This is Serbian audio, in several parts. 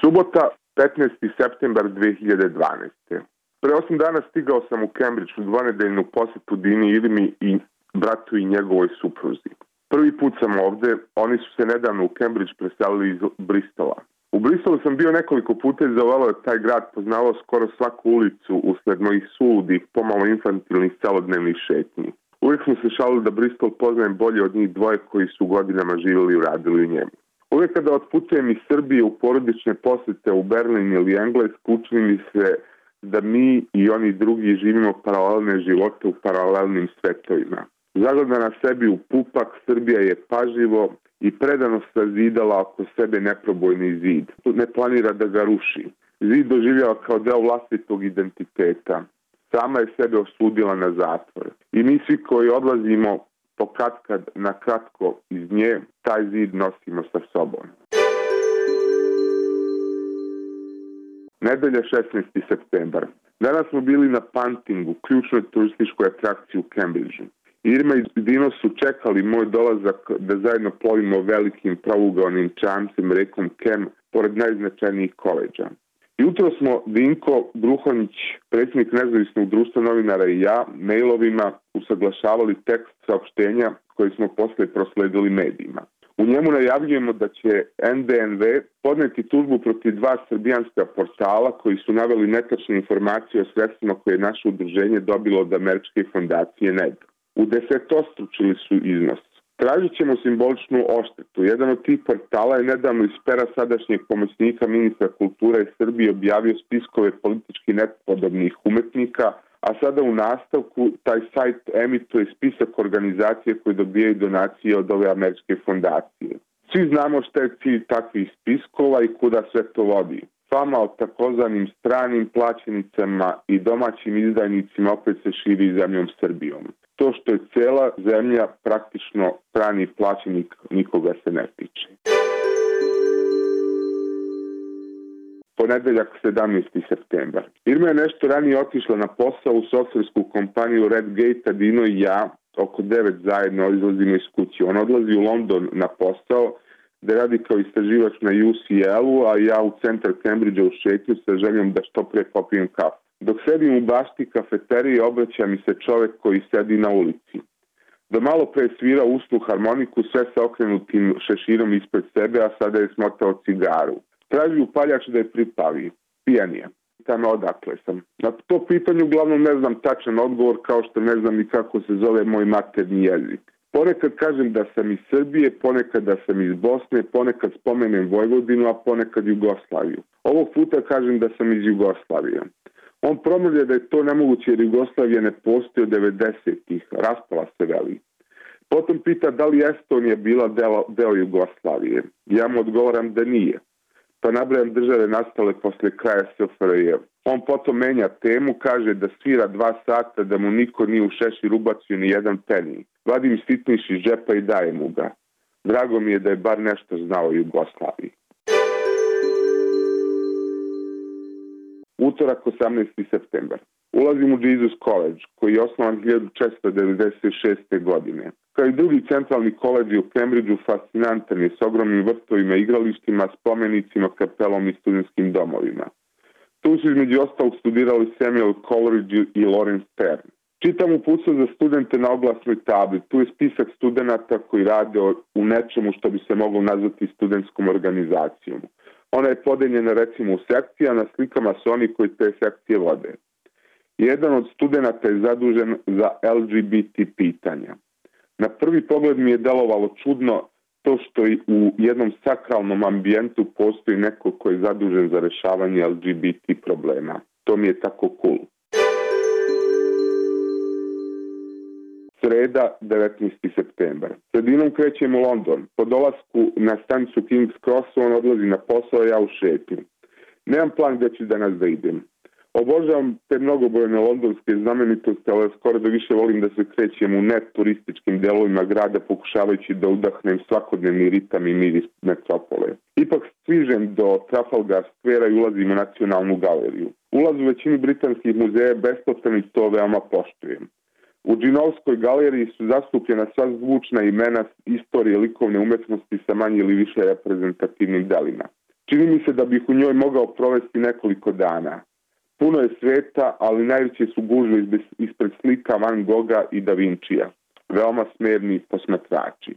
Subota, 15. septembar 2012. Pre 8 dana stigao sam u Cambridge u dvonedeljnu posetu Dini Irmi i bratu i njegovoj supruzi. Prvi put sam ovde, oni su se nedavno u Cambridge preselili iz Bristola. U Bristolu sam bio nekoliko puta i zavolao je taj grad, poznavao skoro svaku ulicu usled mojih suludih, pomalo infantilnih celodnevnih šetnji. Uvijek smo se šalili da Bristol poznajem bolje od njih dvoje koji su godinama živjeli i radili u njemu. Uvijek kada otputujem iz Srbije u porodične posete u Berlin ili Englesku, učini mi se da mi i oni drugi živimo paralelne živote u paralelnim svetovima. Zagleda na sebi u pupak, Srbija je pažljivo i predano sazidala oko sebe neprobojni zid. Ne planira da ga ruši. Zid doživljava kao deo vlastitog identiteta. Sama je sebe osudila na zatvor. I mi svi koji odlazimo pokatkad na kratko iz nje, taj zid nosimo sa sobom. Nedelja, 16. septembar. Danas smo bili na Puntingu, ključnoj turističkoj atrakciji u Cambridgeu. Irma i Dino su čekali moj dolazak da zajedno plovimo velikim prougaonim čamcem rekom Kem pored najznačajnijih koleđa. Jutro smo Dinko Bruhonić, predsjednik Nezavisnog društva novinara i ja, mailovima usaglašavali tekst saopštenja koje smo posle prosledili medijima. U njemu najavljujemo da će NDNV podneti tužbu protiv 2 srbijanska portala koji su naveli netačne informacije o sredstvima koje je naše udruženje dobilo od američke fondacije NED. U 10-stručili su iznos. Tražit ćemo simboličnu odštetu. Jedan od tih portala je nedavno iz pera sadašnjeg pomoćnika ministra kulture Srbije objavio spiskove politički nepodobnih umetnika, a sada u nastavku taj sajt emituje spisak organizacije koje dobijaju donacije od ove američke fondacije. Svi znamo šta je cilj takvih spiskova i kuda sve to vodi. Fama o takozvanim stranim plaćenicama i domaćim izdajnicima opet se širi zemljom Srbijom. To što je cela zemlja praktično strani plaćenik, nikoga se ne tiče. Ponedeljak, 17. septembar. Irma je nešto ranije otišla na posao u softversku kompaniju Redgate, a Dino i ja oko 9 zajedno izlazimo iz kuće. On odlazi u London na posao da radi kao istraživač na UCL-u, a ja u centar Cambridgea u šetnju sa željom da što pre popijem kafu. Dok sedim u bašti kafeterije, obraća mi se čovek koji sedi na ulici. Do malo pre svira usnu harmoniku, sve sa okrenutim šeširom ispred sebe, a sada je smotao cigaru. Traži upaljač da je pripavi. Pijan je. Pitam odakle sam. Na to pitanje uglavnom ne znam tačan odgovor, kao što ne znam ni kako se zove moj maternji jezik. Ponekad kažem da sam iz Srbije, ponekad da sam iz Bosne, ponekad spomenem Vojvodinu, a ponekad Jugoslaviju. Ovog puta kažem da sam iz Jugoslavije. On promrlja da je to nemoguće jer Jugoslavija ne postoji od 90-ih, raspala se veli. Potom pita da li Estonija bila deo Jugoslavije. Ja mu odgovaram da nije. Pa nabrajam države nastale posle kraja SFRJ. On potom menja temu, kaže da svira 2 sata, da mu niko nije u šešir ubacio ni jedan peni. Vadim sitniš iz džepa i dajem mu ga. Drago mi je da je bar nešto znao o Jugoslaviji. Utorak, 18. septembar. Ulazim u Jesus College, koji je osnovan 1496. godine. Kao i drugi centralni koledži u Cambridgeu, fascinantan je s ogromnim vrtovima, igralištima, spomenicima, kapelom i studentskim domovima. Tu su između ostalog studirali Samuel Coleridge i Lawrence Sterne. Čitam uputstvo za studente na oglasnoj tabli. Tu je spisak studenta koji rade u nečemu što bi se moglo nazvati studentskom organizacijom. Ona je podeljena recimo u sekcije, a na slikama su oni koji te sekcije vode. Jedan od studenta je zadužen za LGBT pitanja. Na prvi pogled mi je delovalo čudno to što i u jednom sakralnom ambijentu postoji neko koji je zadužen za rešavanje LGBT problema. To mi je tako cool. Sreda, 19. septembar. Sredinom krećem u London. Po dolasku na stanicu King's Cross on odlazi na posao, ja u šetnju. Nemam plan gde ću danas da idem. Obožavam te mnogobrojne londonske znamenitosti, ali skoro da više volim da se krećem u neturističkim delovima grada pokušavajući da udahnem svakodnevni ritam i miris metropole. Ipak stižem do Trafalgar Square i ulazim u Nacionalnu galeriju. Ulaz u većini britanskih muzeja je besplatan i to veoma poštujem. U Džinovskoj galeriji su zastupljena sva zvučna imena istorije likovne umetnosti sa manje ili više reprezentativnim delima. Čini mi se da bih u njoj mogao provesti nekoliko dana. Puno je sveta, ali najveće su gužve ispred slika Van Gogha i Da Vincija. Veoma smerni posmatrači.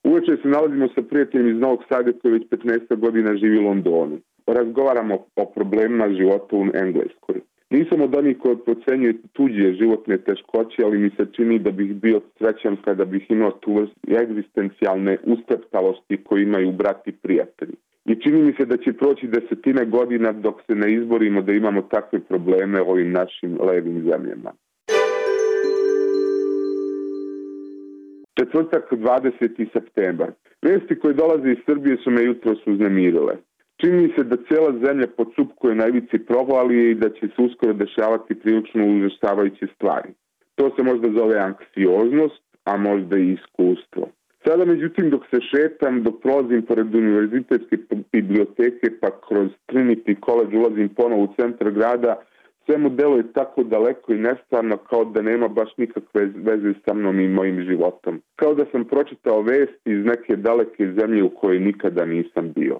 Uveče se nalazimo sa prijateljem iz Novog Sada koji već 15 godina živi u Londonu. Razgovaramo o problemima života u Engleskoj. Nisam od onih koji procenjuju tuđe životne teškoće, ali mi se čini da bih bio srećan kada bih imao tu vrstu egzistencijalne ustreptalosti koju imaju brati prijatelji. I čini mi se da će proći desetine godina dok se ne izborimo da imamo takve probleme u ovim našim levim zemljama. Četvrtak, 20. septembar. Vesti koje dolaze iz Srbije su me jutros uznemirile. Čini mi se da cijela zemlja podsupkuje na ivici provalije i da će se uskoro dešavati prilično užasavajuće stvari. To se možda zove anksioznost, a možda i iskustvo. Sada, međutim, dok se šetam, dok prolazim pored univerzitetske biblioteke pa kroz Trinity College ulazim ponovo u centar grada, sve mu deluje tako daleko i nestvarno kao da nema baš nikakve veze sa mnom i mojim životom. Kao da sam pročitao vesti iz neke daleke zemlje u kojoj nikada nisam bio.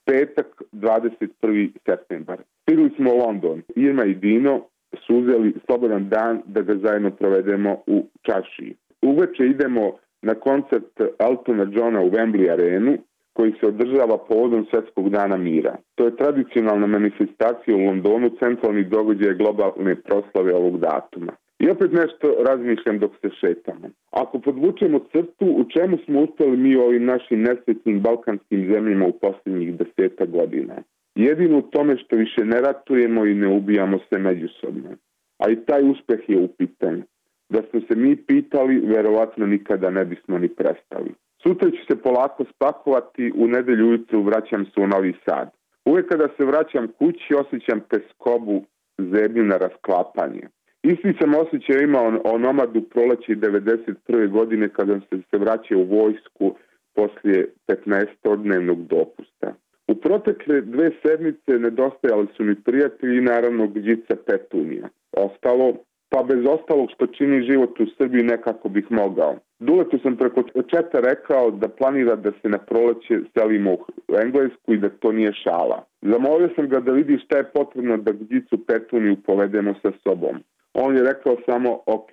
Petak, 21. septembar. Stigli smo u London. Irma i Dino su uzeli slobodan dan da ga zajedno provedemo u čaršiji. Uveče idemo na koncert Eltona Johna u Wembley arenu koji se održava povodom Svjetskog dana mira. To je tradicionalna manifestacija u Londonu, centralni događaj globalne proslave ovog datuma. I opet nešto razmišljam dok se šetamo. Ako podvučemo crtu, u čemu smo uspjeli mi u ovim našim nesretnim balkanskim zemljama u posljednjih 10 godina? Jedino u tome što više ne ratujemo i ne ubijamo se međusobno. A i taj uspjeh je upitan. Da smo se mi pitali, verovatno nikada ne bismo ni prestali. Sutra ću se polako spakovati, u nedelju ujutru vraćam se u Novi Sad. Uvijek kada se vraćam kući, osjećam teskobu, zebnju na rasklapanje. Isti sam osjećaj imao o nomadu proleće 1991. godine kada sam se vraćao u vojsku poslije 15-dnevnog dopusta. U protekle 2 sedmice nedostajali su mi prijatelji i naravno Gđica Petunija. Ostalo, pa bez ostalog što čini život u Srbiji nekako bih mogao. Duletu sam preko četa rekao da planira da se na proleće selimo u Englesku i da to nije šala. Zamolio sam ga da vidi šta je potrebno da Gđicu Petuniju povedemo sa sobom. On je rekao samo ok,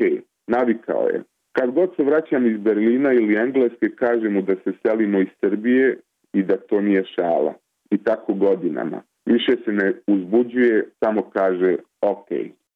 navikao je. Kad god se vraćam iz Berlina ili Engleske, kažem mu da se selimo iz Srbije i da to nije šala. I tako godinama. Više se ne uzbuđuje, samo kaže ok.